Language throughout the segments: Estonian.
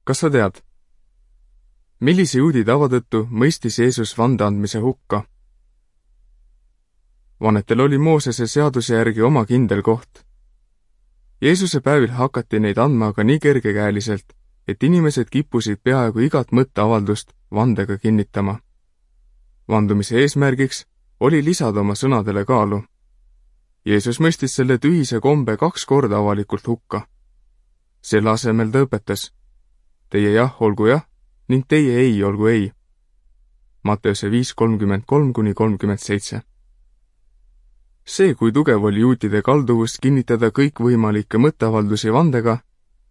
Kas sa tead, millise juudi tava tõttu mõistis Jeesus vande andmise hukka? Vannetel oli Moosese seaduse järgi oma kindel koht. Jeesuse päevil hakati neid andma aga nii kergekäeliselt, et inimesed kippusid peaaegu igat mõtteavaldust vandega kinnitama. Vandumise eesmärgiks oli lisada oma sõnadele kaalu. Jeesus mõistis selle tühise kombe 2 korda avalikult hukka. Selle asemel ta õpetas: teie jah olgu jah ning teie ei olgu ei. Matteuse 5:33-37. See, kui tugev oli juutide kalduvus kinnitada kõikvõimalikke mõtteavaldusi vandega,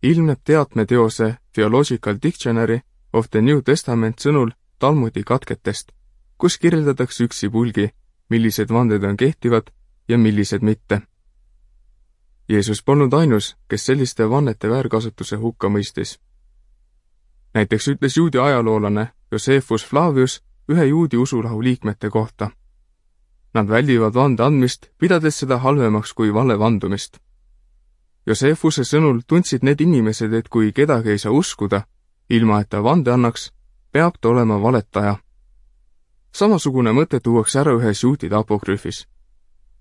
ilmneb teatmeteose Theological Dictionary of the New Testament sõnul Talmudi katketest, kus kirjeldatakse üksipulgi, millised vanded on kehtivad ja millised mitte. Jeesus polnud ainus, kes selliste vannete väärkasutuse hukka mõistis. Näiteks ütles juudi ajaloolane Josephus Flavius ühe juudi usurahu liikmete kohta: nad väldivad vande andmist, pidades seda halvemaks kui vale vandumist. Josephuse sõnul tundsid need inimesed, et kui kedagi ei saa uskuda, ilma et ta vande annaks, peab ta olema valetaja. Samasugune mõte tuuakse ära ühes juutide apokrüüfis: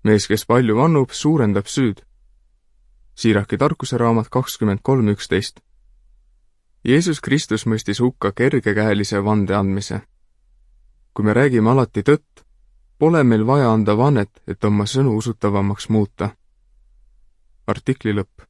mees, kes palju vannub, suurendab süüd. Siiraki tarkuse raamat 23:11. Jeesus Kristus mõistis hukka kergekäelise vande andmise. Kui me räägime alati tõtt, pole meil vaja anda vannet, et oma sõnu usutavamaks muuta. Artikli lõpp.